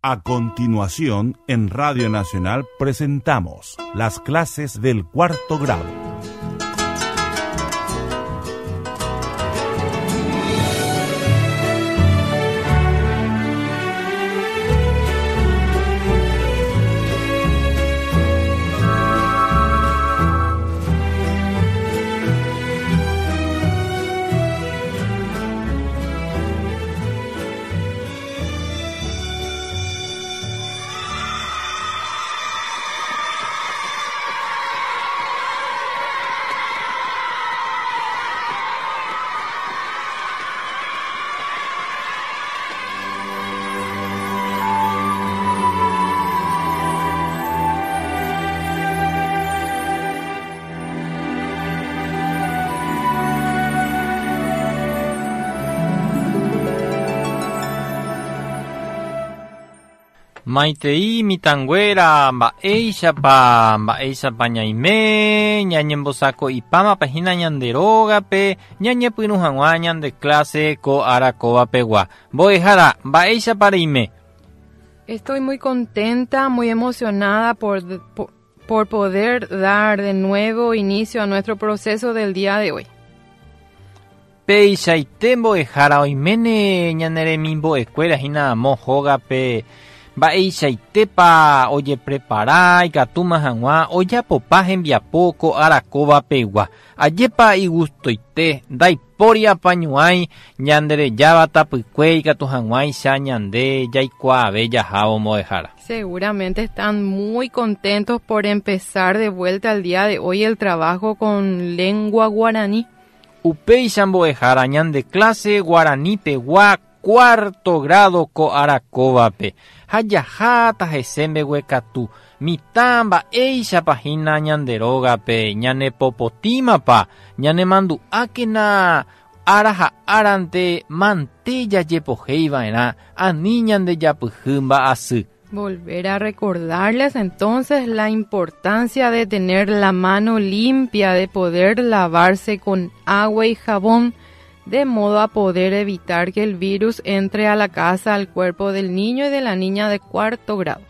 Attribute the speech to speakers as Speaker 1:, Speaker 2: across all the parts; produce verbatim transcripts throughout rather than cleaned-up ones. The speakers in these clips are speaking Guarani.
Speaker 1: A continuación, en Radio Nacional presentamos las clases del cuarto grado.
Speaker 2: Maitei mitanguera mba'éichapa mba'éichapa ñaime ñañembosako'ipáma hína ñande rógape ñañepyrũ hag̃ua ñande clase ko arakóvapegua. Mbo'ehára, mba'éichapa reime.
Speaker 3: Estoy muy contenta, muy emocionada por, por, por poder dar de nuevo inicio a nuestro proceso del día de hoy.
Speaker 2: Peichaite mbo'ehára oiméne ñane remimbo'ekuéra hína amo hógape mba'eichaitépa ojeprepara ikatúma hag̃ua ojapopa hembiapo ko arakóvapegua. Ajépa igustoite ndaipóri apañuãi ñanderejáva tapykue ikatu hag̃uáicha ñande jaikuaave jahávo mbo'ehára.
Speaker 3: Seguramente están muy contentos por empezar de vuelta al día de hoy el trabajo con lengua guaraní.
Speaker 2: Upéicha mbo'ehára ñande clase guaranípegua cuarto grado ko arakóvape. Ha jaháta hese mbeguekatu mitã mba'éichapa hína ñande rógape ñanepopotímapa ñanemandu'ákena ára ha árante mante jajepohéiva'erã ani ñandejapyhy mba'asy.
Speaker 3: Volver a recordarles entonces la importancia de tener la mano limpia, de poder lavarse con agua y jabón, de modo a poder evitar que el virus entre a la casa, al cuerpo del niño y de la niña de cuarto grado.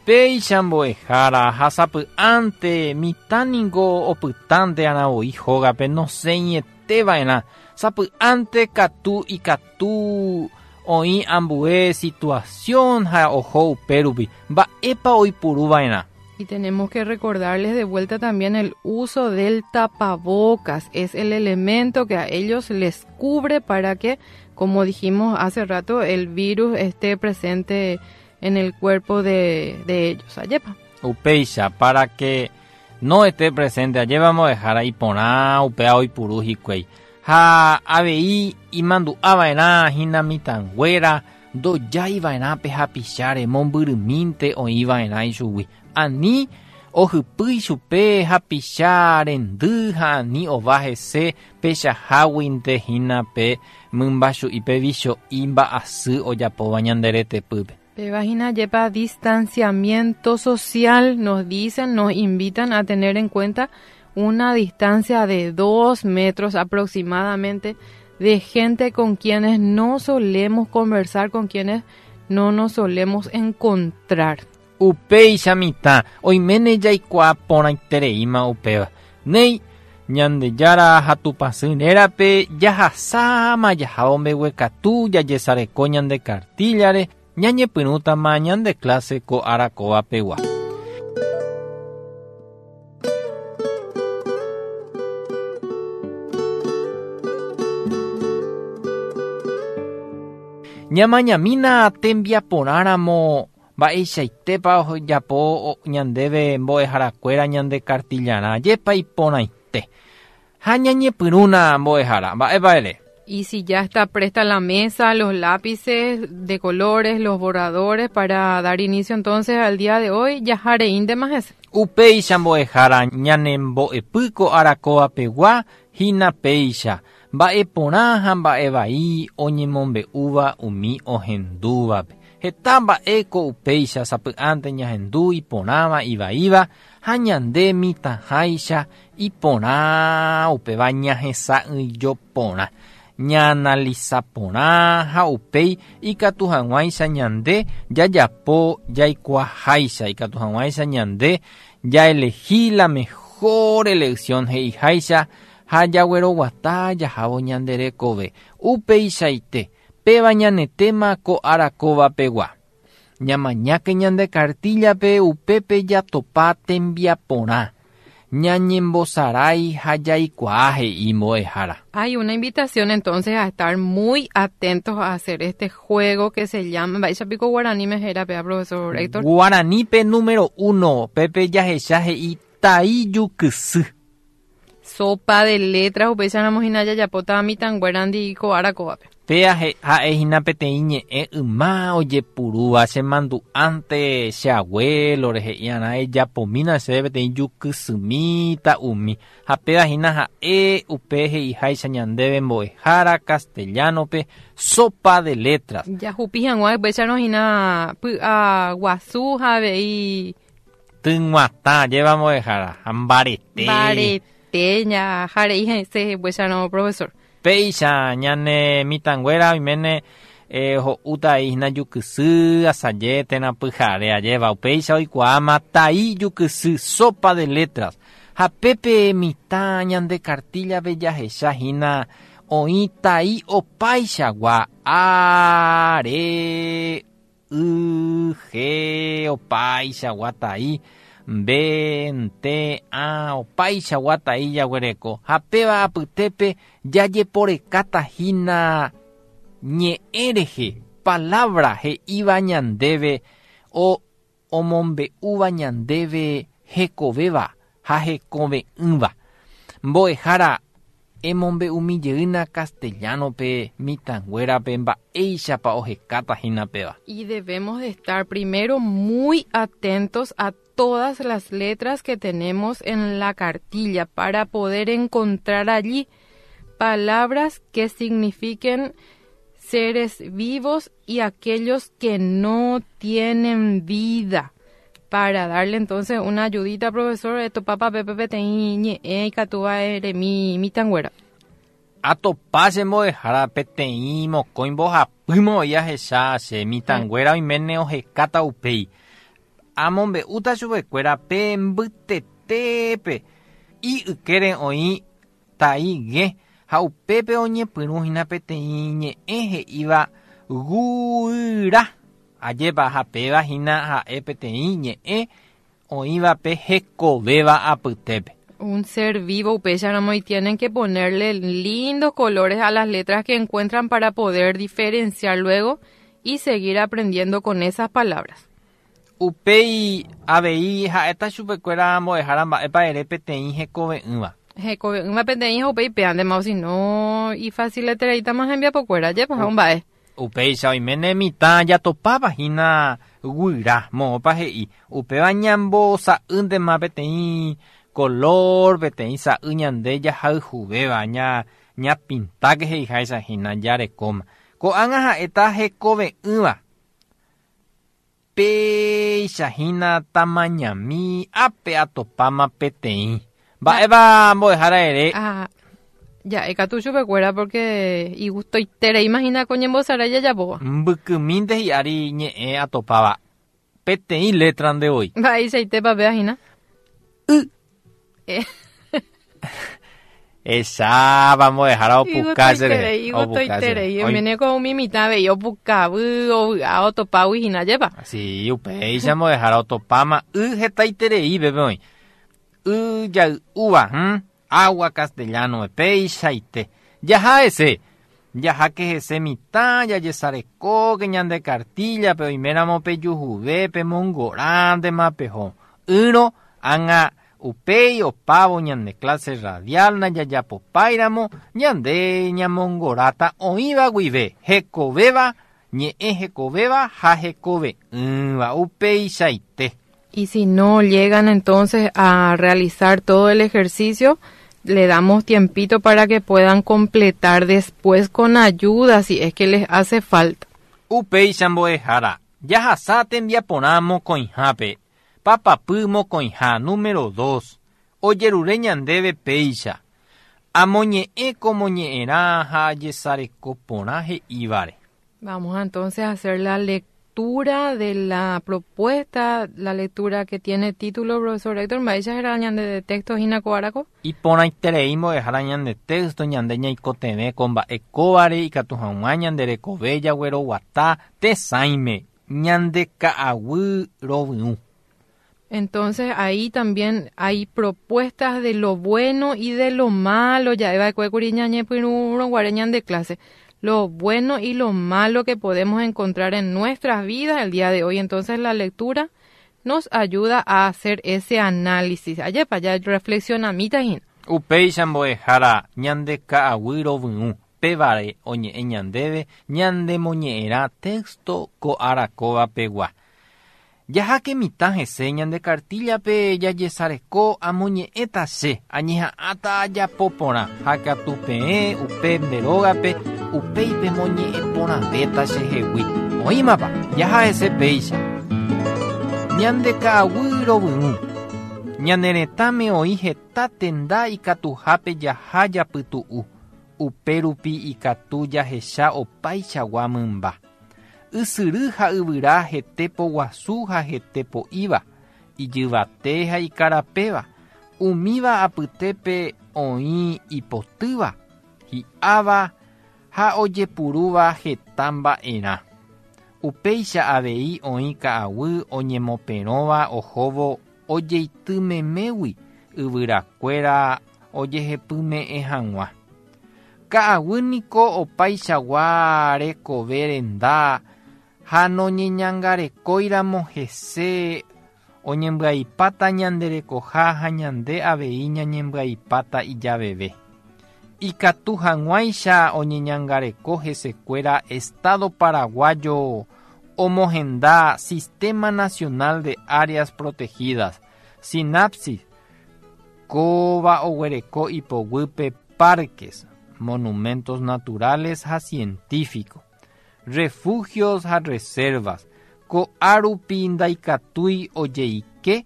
Speaker 2: Péicha mbo'ehára ha sapy'ánte mitã ningo opytánte anavoi hógape nosẽieteva'erã sapy'ánte katu ikatu oĩ ambue situación ha oho upérupi mba'épa oipuruva'erã.
Speaker 3: Y tenemos que recordarles de vuelta también el uso del tapabocas. Es el elemento que a ellos les cubre para que, como dijimos hace rato, el virus esté presente en el cuerpo de, de ellos. Ayepa.
Speaker 2: Upéicha, para que no esté presente, allí vamos a dejar ahí poná, upea oipuru hikuái. Ha avei imandu'ava'erã hína mitãnguéra ndojáiva'erã pe hapicháre mombyrymínte oĩva'erã ichugui. Ani ohypýi chupe hapicha rendy ha ani ova hese pechaháguinte hína pe mymbachu'i pe vicho'i mba'asy ojapóva ñande retepýpe.
Speaker 3: Péva hína jepa distanciamiento social, nos dicen, nos invitan a tener en cuenta una distancia de dos metros aproximadamente de gente con quienes no solemos conversar, con quienes no nos solemos encontrar.
Speaker 2: Upéicha mitã oiméne jaikuaa porãitereíma upéva. Néi Ñandejára ha Tupãsy rérape jahasáma jahávo mbeguekatu jajesareko ñande cartillare ñañepyrũtama ñande clase ko arakóvapegua. Ñamañamína tembiaporãramo mba'eichaitépa ojapo ñandéve mbo'eharakuéra ñande cartillarã jepa iporãite. Ha ñañepyrũna mbo'ehára, mba'épa ere.
Speaker 3: Y si ya está presta la mesa, los lápices de colores, los borradores para dar inicio entonces al día de hoy, jahareíntema hese.
Speaker 2: Upéicha mbo'ehára ñanembo'epýko arakóvapegua hína péicha. Mba'eporã ha mba'evai oñemombe'úva umi ohendúvape. Heta mba'éko upéicha sapy'ánte ñahendu iporãva ivaíva ha ñande mitãháicha iporã upéva ñahesa'ỹijoporã. Ñaanaliza porã ha upéi ikatu hag̃uáicha ñande jajapo jaikuaaháicha, ikatu hag̃uáicha ñande jaelegi la mejor elección he'iháicha ha jagueroguata jahávo ñande rekove. Upeichaite péva ñane tema ko ára kóvapegua. Ñamañáke ñande cartillape upépe jatopa tembiaporã. Ñañembosarái ha jaikuaa he'i mbo'ehára.
Speaker 3: Hay una invitación entonces a estar muy atentos a hacer este juego que se llama Mba'éicha piko guaraníme héra péa, profesor Héctor.
Speaker 2: Guaranípe número uno, pépe jahecha he'i tai jukysy.
Speaker 3: Sopa de letras upéicharamo hína jajapóta mitãnguérandi ko ára kóvape.
Speaker 2: Péa ha'ehína peteĩ ñe'ẽ yma ojepurúva chemandu'ánte che abuelo rehe'i'arã ejapomína chéve peteĩ jukysymi umi ha péva hína ha'e upe he'iháicha ñandéve mbo'ehára castellano-pe sopa de letras.
Speaker 3: Jahupi hag̃ua upéicharõ hína py'aguasu ha avei
Speaker 2: Tyg̃uatã jeva mbo'ehára ha mbarete.
Speaker 3: Mbarete ñajarei hese upéicharõ, profesor.
Speaker 2: Péicha ñane mitãnguéra oiméne eh, ho'úta hína jukysy asaje térã pyhare ajéva upéicha oikuaáma tai jukysy sopa de letras ha pépe mitã ñande cartillape jahecha hína oĩ tai opaichagua A, R, Y, G opaichagua tai B, T, A opaichagua tai jaguereko ha péva apytépe jajeporekáta hína ñe'ẽ rehe palabra he'íva ñandéve o omombe'úva ñandéve hekovéva ha hekove'ỹva. Mbo'ehára emombe'umi jeýna castellano-pe mitãnguérape mba'éichapa ohekáta hína péva.
Speaker 3: Y debemos de estar primero muy atentos a todas las letras que tenemos en la cartilla para poder encontrar allí palabras que signifiquen seres vivos y aquellos que no tienen vida. Para darle entonces una ayudita, profesor, esto papá pepe peteĩ ñe'ẽ ikatúva eremi mitãnguéra.
Speaker 2: Atopa che mbo'ehára peteĩ mokõi mbohapýma oĩ ahecha che mitãnguéra oiméne ohekáta upéi. Amombe'úta chupekuéra pe mbytetépe y ykére oĩ tai ge ha upépe oñepyrũ hína peteĩ ñe'ẽ he'íva guyra. Ajépa ha péva hína ha'e peteĩ ñe'ẽ oĩvape hekovéva apytépe.
Speaker 3: Un ser vivo upéicharamo y tienen que ponerle lindos colores a las letras que encuentran para poder diferenciar luego y seguir aprendiendo con esas palabras.
Speaker 2: Upéi avei ha'éta chupekuéra mbo'ehára mba'épa ere peteĩ hekove'ỹva.
Speaker 3: Hekove'ỹva peteĩ ha upéi péantema o si no ifaciletereítama hembiapokuéra jepa ha mba'e.
Speaker 2: Upéicha oiméne mitã jatopáva hína guyra moõpa he'i upéva ñambosa'ýntema peteĩ color peteĩ sa'y ñande jahayhuvéva ña ñapintáke he'iháicha hína jarekóma. Ko'ág̃a ha'éta hekove'ỹva. Péicha hína tamañami ápe atopáma peteĩ. Mba'épa mbo'ehára ere.
Speaker 3: Ah, ja'ékatu chupekuéra porque igustoiterei imagina ko ñembosarái jajapóva.
Speaker 2: Mbykymínte hi'ári ñe'ẽ atopáva. Peteĩ letra nde voi.
Speaker 3: Mba'eichaitépa péva hína.
Speaker 2: Y.
Speaker 3: Eh.
Speaker 2: Echáva mbo'ehára opuka chéve.
Speaker 3: Igustoiterei, igustoiterei. Oiméne ko umi mitã avei opukavy, ovy'a otopágui hína jepa.
Speaker 2: Sí, upéicha mbo'ehára otopáma y hetaiterei pépe oĩ. Y jay'úva, hm? Agua castellano péichaite. Jaha hese. Jaháke hese mitã jajesarekóke ñande cartillape oiméramo pejuhuve pemongorãntema peho. Ýrõ ág̃a upéi opávo ñande clase radial najajapopáiramo ñande ñamongoráta oĩva guive hekovéva ñe'ẽ hekovéva ha hekove'ỹva upeichaite.
Speaker 3: Y si no llegan entonces a realizar todo el ejercicio, le damos tiempito para que puedan completar después con ayuda si es que les hace falta.
Speaker 2: Upéicha mbo'ehára jahasa tembiaporã mokõihápe papapy mokõiha número dos ojerure ñandéve péicha Amoñe'ẽ ko moñe'ẽrã ha ajesareko porã he'ívare.
Speaker 3: Vamos entonces a hacer la lectura de la propuesta, la lectura que tiene título, profesor Héctor, mba'éicha héra ñande texto hína ko árako?
Speaker 2: Iporãiterei mbo'ehára ñande texto ñande ñaikotevẽ ko mba'e kóvare ikatu hag̃ua ñande rekove jagueroguata tesãime ñande ka'aguy rovyũ.
Speaker 3: Entonces ahí también hay propuestas de lo bueno y de lo malo, ja'eva'ekue kuri ñañepyrũrõ ñande clase. Lo bueno y lo malo que podemos encontrar en nuestras vidas el día de hoy. Entonces la lectura nos ayuda a hacer ese análisis. Ajépa ya reflexionamíta hína.
Speaker 2: Upéicha mbo'ehára ñande ka'aguy rovyũ pévare oñe'ẽ ñandéve ñande moñe'ẽrã texto ko ára kóva pegua. Jaháke mitã hese ñande cartillape jajesareko amoñe'ẽta che añeha'ãta ajapo porã ha katu peẽ upe nde rógape upéi pemoñe'ẽ porãvéta chehegui. Oĩmapa jaha hese péicha. Ñande ka'aguy rovyũ. Ñane retãme oĩ heta tenda ikatuhápe jaha japytu'u. Upe rupi ikatu jahecha opaichagua mymba. Ysyry ha yvyra hete poguasu ha hete po'íva, ijyvate ha ikarapéva, umíva apytépe oĩ ipotýva, hi'áva ha ojepurúva heta mba'erã. Upéicha avei oĩ ka'aguy oñemoperõva ohóvo ojeitymemégui yvyrakuéra ojehepyme'ẽ hag̃ua. Ka'aguy niko opaichagua rekove renda ha noñeñangarekóiramo hese oñembyaipáta ñande rekoha ha ñande avei ñañembyaipáta ijaveve. Ikatu hag̃uáicha oñeñangareko hesekuéra Estado paraguayo omohenda Sistema Nacional de Áreas Protegidas, Sinapsis, kóva oguereko ipoguýpe parques, monumentos naturales ha científicos, refugios ha reservas, ko'árupi ndaikatúi ojeike,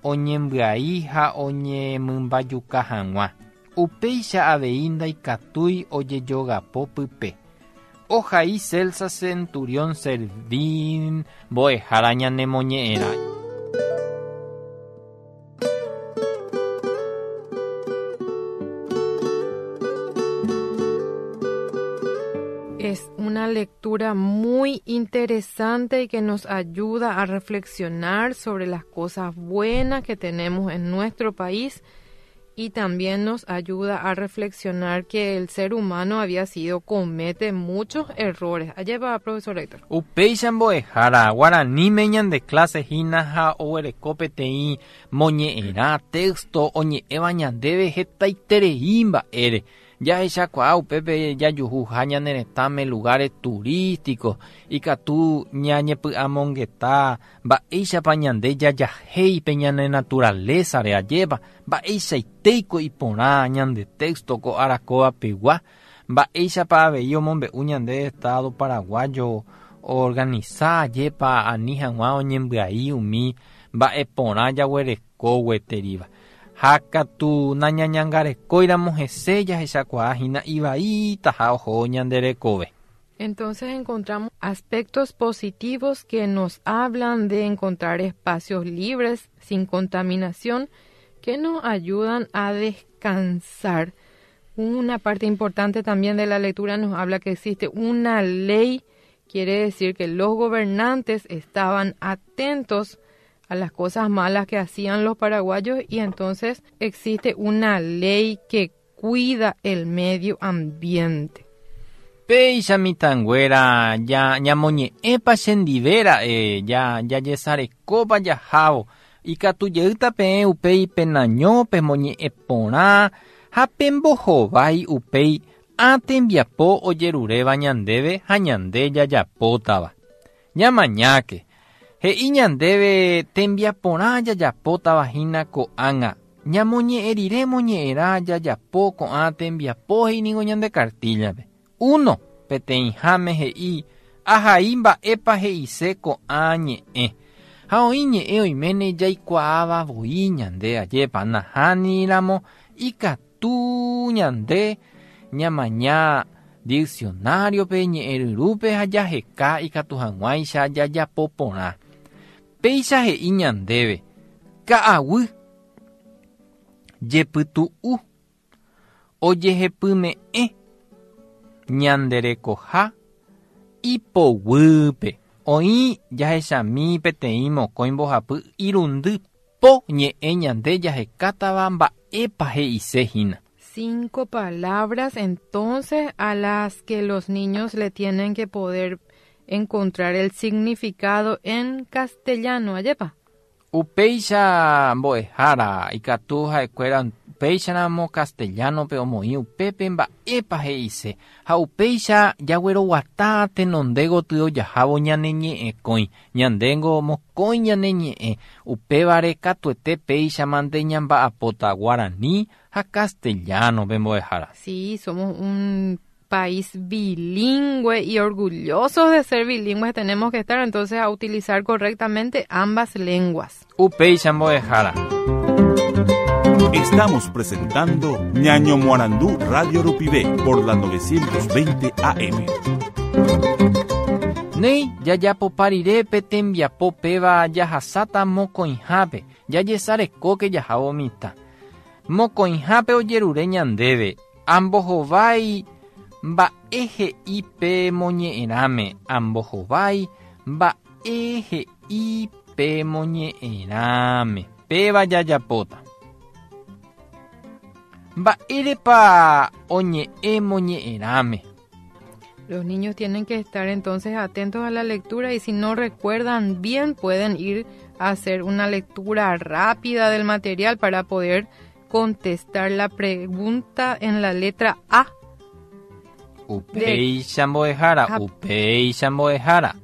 Speaker 2: oñembyai ha oñemymbajuka hag̃ua. Upéicha avei ndaikatúi ojejogapo pype. Ohai Celsa Centurión Servín mbo'ehára ñanemoñe'ẽrã.
Speaker 3: Es una lectura muy interesante y que nos ayuda a reflexionar sobre las cosas buenas que tenemos en nuestro país y también nos ayuda a reflexionar que el ser humano había sido, comete muchos errores. Allá va, profesor Héctor.
Speaker 2: Upéicha mbo'ehára guaraníme ñande clase hína ha oguereko peteĩ moñe'ẽrã texto oñe'ẽva ñandéve hetaiterei mba'ére. Jahechakuaa upépe jajuhuha ñane retãme lugares turísticos ikatu ñañepy'amongeta mba'éichapa ñande jajahéipe ñane naturalezare ajépa mba'eichaitéiko iporã ñande texto ko ára kóva pegua mba'éichapa avei omombe'u ñande Estado paraguayo organiza ajépa ani hag̃ua oñembyai umi mba'e porã jaguereko gueteríva. Ha katu nañañangarekóiramo hese jahechakuaa hína ivaítaha oho ñande rekove.
Speaker 3: Entonces encontramos aspectos positivos que nos hablan de encontrar espacios libres, sin contaminación, que nos ayudan a descansar. Una parte importante también de la lectura nos habla que existe una ley, quiere decir que los gobernantes estaban atentos a las cosas malas que hacían los paraguayos y entonces existe una ley que cuida el medio ambiente.
Speaker 2: Péicha mitãnguéra ya ñamoñe'ẽpa chendivéra'e eh, ya jajesarekópa jahávo ikatu jeýta peẽ upéi penaño pemoñe'ẽ porã ha pembohovái upéi ã tembiapo ojeruréva ñandéve ha ñande jajapótava. Ñamañáke. He'i ñandéve tembiaporã jajapótava hína ko'ág̃a. Ñamoñe'ẽ rire moñe'ẽrã jajapo ko'ã tembiapo he'íningo ñande cartillape. Uno, peteĩháme he'i ahai mba'épa he'ise ko'ã ñe'ẽ. Ha oĩ ñe'ẽ oiméne jaikuaáva voi ñande ajépa nahániramo ikatu Ikatu ñande ñamaña diccionario pe ñe'ẽryrupe ha jaheka ikatu hag̃uáicha jajapo porã. Péicha he'i ñandéve ka'aguy jepytu'u ojehepyme'ẽ ñanderekoha ipoguýpe. Oĩ jahechami peteĩ mokõi mbohapy irundy po ñe'ẽ ñande jahekátava mba'épa he'isehína.
Speaker 3: Cinco palabras entonces a las que los niños le tienen que poder encontrar el significado en castellano, ajepa.
Speaker 2: Upéicha mbo'ehára ikatu ha'ekuéra upéicharamo castellano-pe omoĩ upépe mba'épa he'ise ha upéicha jagueroguata tenonde gotyo jahávo ñane ñe'ẽkõi ñandéngo mokõi ñane ñe'ẽ upévare katuete péicha mante ñamba'apóta guaraní ha castellano-pe mbo'ehára.
Speaker 3: Sí, somos un país bilingüe y orgullosos de ser bilingües tenemos que estar entonces a utilizar correctamente ambas lenguas.
Speaker 2: Upéicha mbo'ehára.
Speaker 1: Estamos presentando Ñaño Moarandú Radio Rupivé por la novecientos veinte A M.
Speaker 2: Nei, jajapoparire tembiapo péva jahasata mokõihápe, jajesareko jahávo mitã. Mokõihápe ojerure ñandéve, ambohovái mba'e he'i pe moñe'ẽrãme, ambohovái mba'e he'i pe moñe'ẽrãme, péva jajapóta. Mba'érepa oñe'ẽ moñe'ẽrãme.
Speaker 3: Los niños tienen que estar entonces atentos a la lectura y si no recuerdan bien pueden ir a hacer una lectura rápida del material para poder contestar la pregunta en la letra A.
Speaker 2: Upéicha mbo'ehára, upéicha mbo'ehára.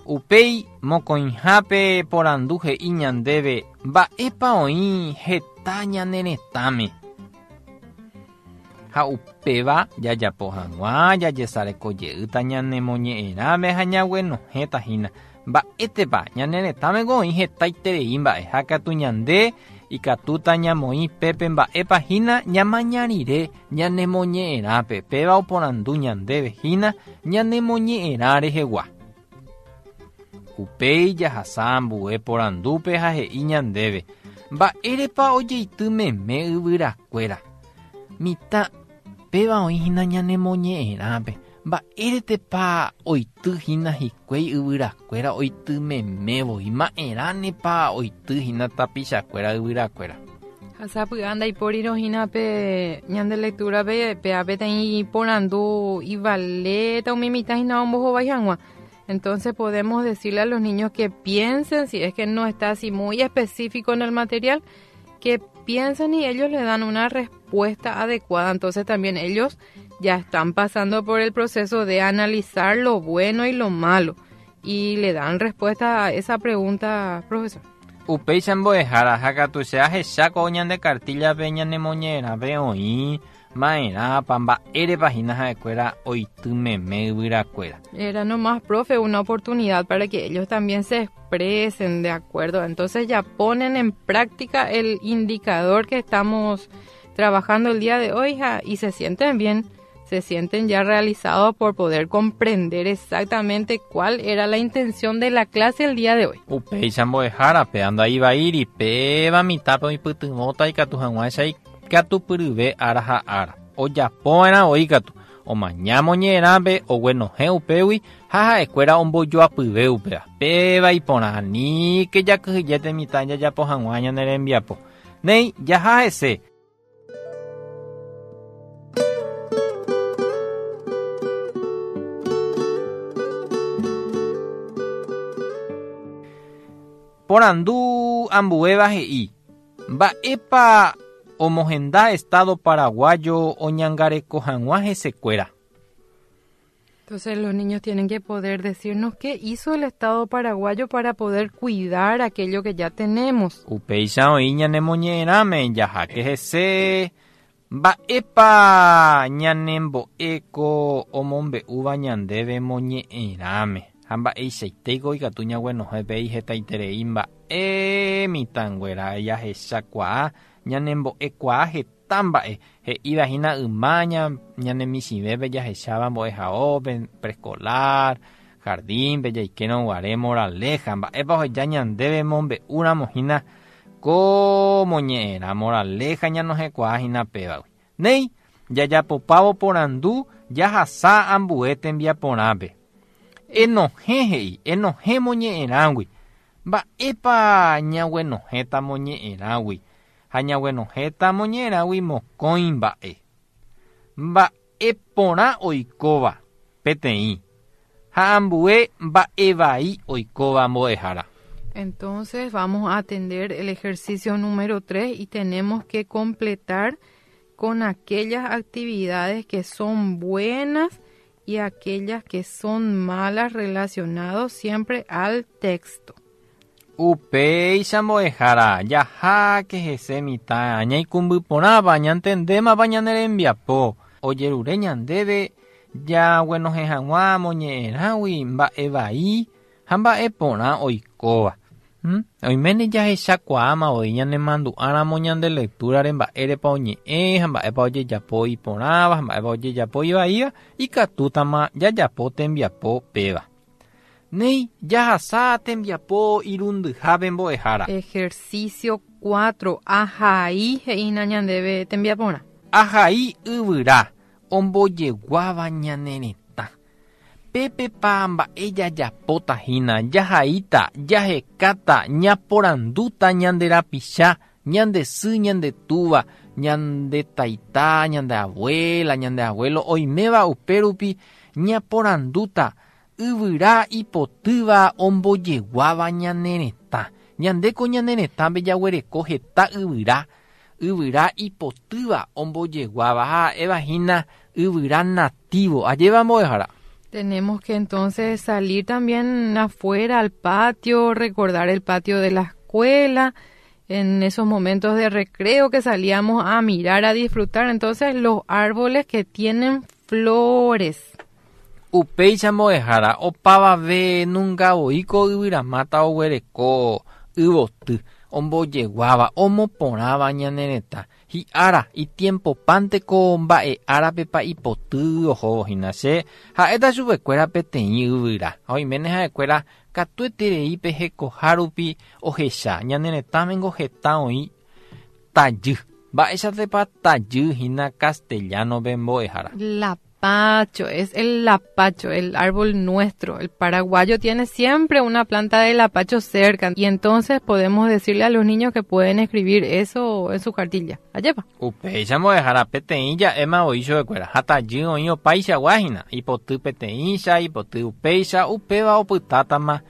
Speaker 2: Upéi mokõihápe porandu he'i ñandéve mba'épa oĩ heta ñane retãme. Ha upéva jajapo hag̃ua jajesareko jeýta ñane moñe'ẽrãme ha ñaguenohẽta hína. Mba'étepa ñane retãme oĩ hetaiterei mba'e ha katu ñande ikatúta ñamoĩ pépe mba'épa hína ñamaña rire ñane moñe'ẽrãpe. Péva oporandu ñandéve hína ñane moñe'ẽrã rehegua. Upéi jahasa ambue porandúpe ha he'i ñandéve mba'érepa ojeity meme yvyrakuéra. Mitã péva oĩ hína ñane moñe'ẽrãpe. Mba'éretepa oity hína hikuái yvyrakuéra oity memévoi. Ma'erãnepa oity hína tapichakuéra yvyrakuéra.
Speaker 3: Ha sapy'a ndaipórirõ hína pe ñande lectura-pe pe'a peteĩ porandu ivaléta umi mitã hína ombohovái hag̃ua. Entonces podemos decirle a los niños que piensen, si es que no está así muy específico en el material, que piensen y ellos le dan una respuesta adecuada. Entonces también ellos ya están pasando por el proceso de analizar lo bueno y lo malo y le dan respuesta a esa pregunta, profesor.
Speaker 2: Upéicha mbo'ehára ha katu che ahecháko ñande cartilla-pe ñane moñe'ẽrãpe oĩ ma'erãpa mba'érepa hína ha'ekuéra oity meme yvyrakuéra.
Speaker 3: Era nomás, profe, una oportunidad para que ellos también se expresen, de acuerdo. Entonces ya ponen en práctica el indicador que estamos trabajando el día de hoy, ja, y se sienten bien, se sienten ya realizados por poder comprender exactamente cuál era la intención de la clase el día de hoy.
Speaker 2: Upéicha mbo'ehára pe anda ivaíri péva mitãpe oipytyvõta ikatu hag̃uáicha ikatupyryve ára ha ára. Ojapóva'erã oĩkatu omaña moñe'ẽrãpe oguenohẽ upégui ha ha'ekuéra ombojoapyve upéva. Péva iporã aníke jakyhyjéte mitã jajapo hag̃ua ñane rembiapo. Néi jaha hese. Porandu ambuéva he'i mba'épa omohenda Estado paraguayo oñangareko hag̃ua hesekuéra.
Speaker 3: Entonces los niños tienen que poder decirnos qué hizo el Estado paraguayo para poder cuidar aquello que ya tenemos.
Speaker 2: Upéicha oĩ ñane moñe'ẽrãme jaháke hese mba'épa ñanembo'éko omombe'úva ñandéve moñe'ẽrãme. Ha mba'eichaitéiko ikatu ñaguenohẽ péi hetaiterei mba'e mitãnguéra jahechakuaa ñanembo'ekuaa heta Heta mba'e he'íva hína yma ñane michĩvépe jahecháva mbo'ehaópe, preescolar, jardínpe jaikérõ guare moraleja mba'épa oheja ñandéve mombe'úramo hína ko moñe'ẽrã moraleja ñanohẽkuaa hína pévagui. Néi jajapopávo porandu jahasa ambue tembiaporãpe. Enohẽ he'i, enohẽ moñe'ẽrãgui. Mba'épa ñaguenohẽta moñe'ẽrãgui ha ñaguenohẽta moñe'ẽrãgui mokõi mba'e. Mba'e porã oikóva peteĩ ha ambue mba'e vai oikóva mbo'ehára.
Speaker 3: Entonces vamos a atender el ejercicio número tres y tenemos que completar con aquellas actividades que son buenas y aquellas que son malas relacionadas siempre al texto.
Speaker 2: Upéicha mbo'ehára jaháke hese mitã ñaikũmbyporãva ñantendémava ñane rembiapo ojerure ñandéve jaguenohẽ hag̃ua moñe'ẽrãgui mba'e vai ha mba'e porã oikóva. Oiméne jahechakuaáma voi ñanemandu'áramo ñande lecturare mba'érepa oñe'ẽ ha mba'épa ojejapo iporãva ha mba'épa ojejapo ivaíva ikatútama jajapo tembiapo péva. Néi jahasa tembiapo irundyhápe mbo'ehára.
Speaker 3: Ejercicio cuatro. Ahai he'ína ñandéve tembiaporã.
Speaker 2: Ahai yvyra ombojeguáva ñane retã. Pépepa mba'e jajapóta hína jahaíta, jahekáta, ñaporandúta ñande rapicha, ñande sy, ñande túva, ñande taita, ñande abuela, ñande abuelo oiméva upérupi ñaporandúta yvyra ipotýva ombojeguáva ñane retã. Ñandéko ñane retãme jaguereko heta yvyra, yvyra ipotýva ombojeguáva ha'éva hína yvyra nativo. Ajéva mbo'ehára.
Speaker 3: Tenemos que entonces salir también afuera al patio, recordar el patio de la escuela, en esos momentos de recreo que salíamos a mirar, a disfrutar. Entonces los árboles que tienen flores.
Speaker 2: Upéicha mbo'ehára opavave nunga voíko yvyramáta oguereko yvoty ombojeguáva omoporãva ñane retã. Hi'ára itiempopánteko mba'e árapepa ipoty ohóvo hína che ha'éta chupekuéra peteĩ yvyra. Ha oiméne ha'ekuéra katueterei pe hekoha rupi ohecha ñane retãmengo heta oĩ tajy. Mba'éichatepa tajy hína castellano-pe mbo'ehára.
Speaker 3: Lapacho, es el lapacho, el árbol nuestro. El paraguayo tiene siempre una planta de lapacho cerca y entonces podemos decirle a los niños que pueden escribir eso en su cartilla. Ajépa.
Speaker 2: Upéicha mbo'ehára peteĩ ja'éma voi chupekuéra ha tajy oĩ opaichagua hína ipoty peteĩcha, ipoty upéicha, upéva opytátama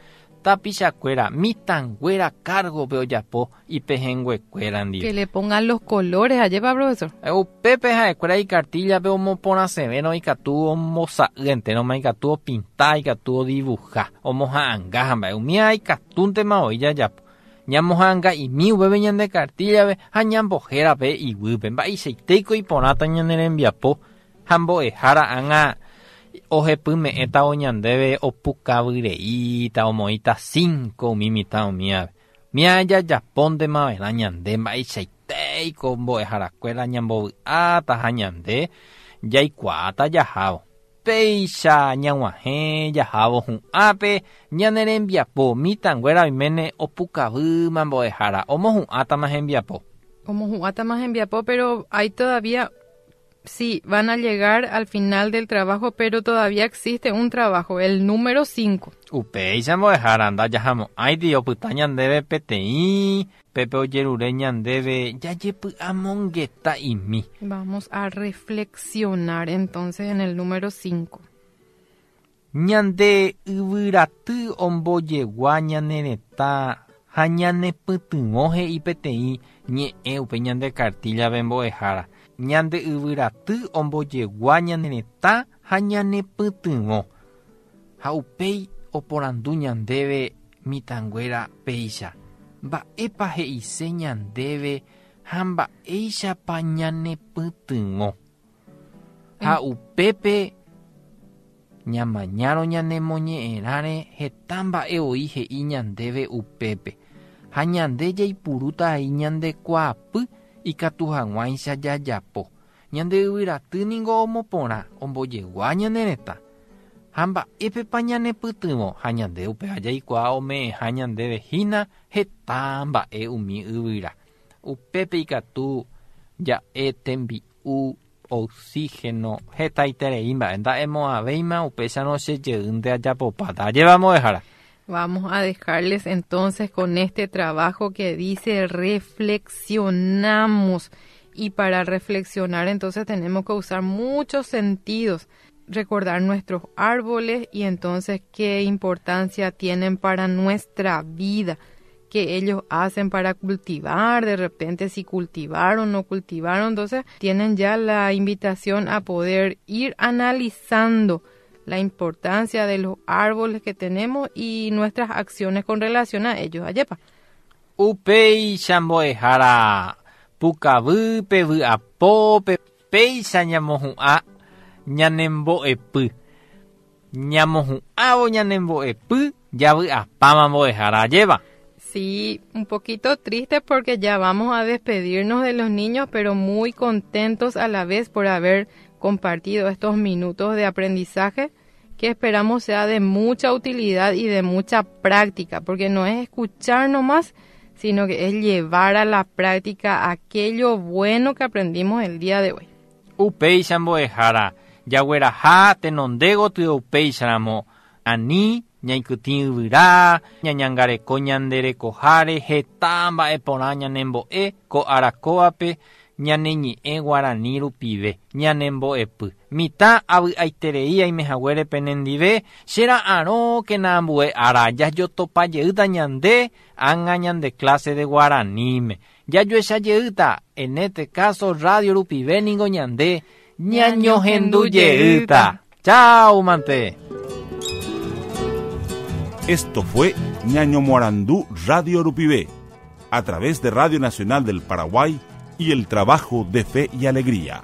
Speaker 2: tapichakuéra mitãnguéra cargo-pe ojapo ipehẽnguekuéra ndive.
Speaker 3: Que le pongan los colores, ajépa, profesor.
Speaker 2: Upépe ha'ekuéra icartilla-pe omoporãsevérõ ikatu ombosa'y enteroma ikatu opinta, ikatu odibuja, omoha'ãnga ha mba'e umíva ikatúntema voi jajapo. Ñamoha'ãnga'imi upépe ñande cartilla-pe ha ñambohérape iguýpe mba'eichaitéiko iporãta ñane rembiapo ha mbo'ehára ág̃a ohepyme'ẽtavo ñandéve opukavyreíta omoĩta cinco umi mitã umívape. Umíva jajapóntema va'erã ñande mba'eichaitéiko mbo'eharakuéra ñambovy'áta ha ñande jaikuaáta jahávo. Péicha ñag̃uahẽ jahávo hu'ãpe ñane rembiapo mitãnguéra oiméne opukavýma mbo'ehára omohu'ãtama hembiapo.
Speaker 3: Omohu'ãtama hembiapo, pero hay todavía, sí, van a llegar al final del trabajo, pero todavía existe un trabajo, el número cinco.
Speaker 2: Upéicha mbo'ehára ndajahamo'ãiti opyta ñandéve peteĩ pépe ojerure ñandéve jajepy'amongeta'imi.
Speaker 3: Vamos a reflexionar entonces en el número cinco.
Speaker 2: Ñande yvyraty ombojegua ñane retã ha ñanepytyvõ he'i peteĩ ñe'ẽ upe ñande cartilla-pe mbo'ehára. Ñande yvyraty ombojegua ñane retã ha ñanepytyvõ. Ha upéi oporandu ñandéve mitãnguéra péicha. Mba'épa he'ise ñandéve ha mba'éichapa ñanepytyvõ. Ha upépe ñamañárõ ñanemoñe'ẽrãre heta mba'e oĩ he'i ñandéve upépe. Ha ñande jaipurúta aí ñandekuaapy Ikatu hag̃uáicha jajapo. Ñande yvyraty ningo omoporã ombojegua ñane retã. Ha mba'épepa ñanepytyvõ ha ñande upéva jaikuaa ome'ẽha ñandéve hína heta mba'e umi yvyra. Upépe ikatu ja'e tembi'u, oxígeno, hetaiterei mba'e nda'emo'ãvéima upéicharõ chejeýnte ajapopáta. Ajépa mbo'ehára.
Speaker 3: Vamos a dejarles entonces con este trabajo que dice reflexionamos. Y para reflexionar entonces tenemos que usar muchos sentidos, recordar nuestros árboles y entonces qué importancia tienen para nuestra vida, qué ellos hacen para cultivar, de repente si cultivaron o no cultivaron, entonces tienen ya la invitación a poder ir analizando la importancia de los árboles que tenemos y nuestras acciones con relación a ellos. Ajépa.
Speaker 2: Upéicha mbo'ehára pukavýpe vy'apópe péicha ñamohu'ã ñanembo'epy. Ñamohu'ãvo ñanembo'epy javy'apáma mbo'ehára ajépa.
Speaker 3: Sí, un poquito triste porque ya vamos a despedirnos de los niños, pero muy contentos a la vez por haber compartido estos minutos de aprendizaje que esperamos sea de mucha utilidad y de mucha práctica, porque no es escuchar nomás, sino que es llevar a la práctica aquello bueno que aprendimos el día de hoy.
Speaker 2: Upéicha mbo'ehára jagueraha tenonde gotyo upéicharamo ani ñaikytĩ yvyra, ñañangareko ñande rekoháre heta mba'eporã ñanembo'e ko arakóvape ñane ñe'ẽ guarani rupive ñanembo'epy. Mitã avy'aiterei aimehaguére penendive chera'arõkena ambue ára jajotopajeýta ñande ág̃a ñande clase de guaraníme. Jajoechajeýta en este caso radio rupive ningo ñande ñañohendujeýta. Chao mante.
Speaker 1: Esto fue Ñañomoarandú Radio Rupivé, a través de Radio Nacional del Paraguay y el trabajo de Fe y Alegría.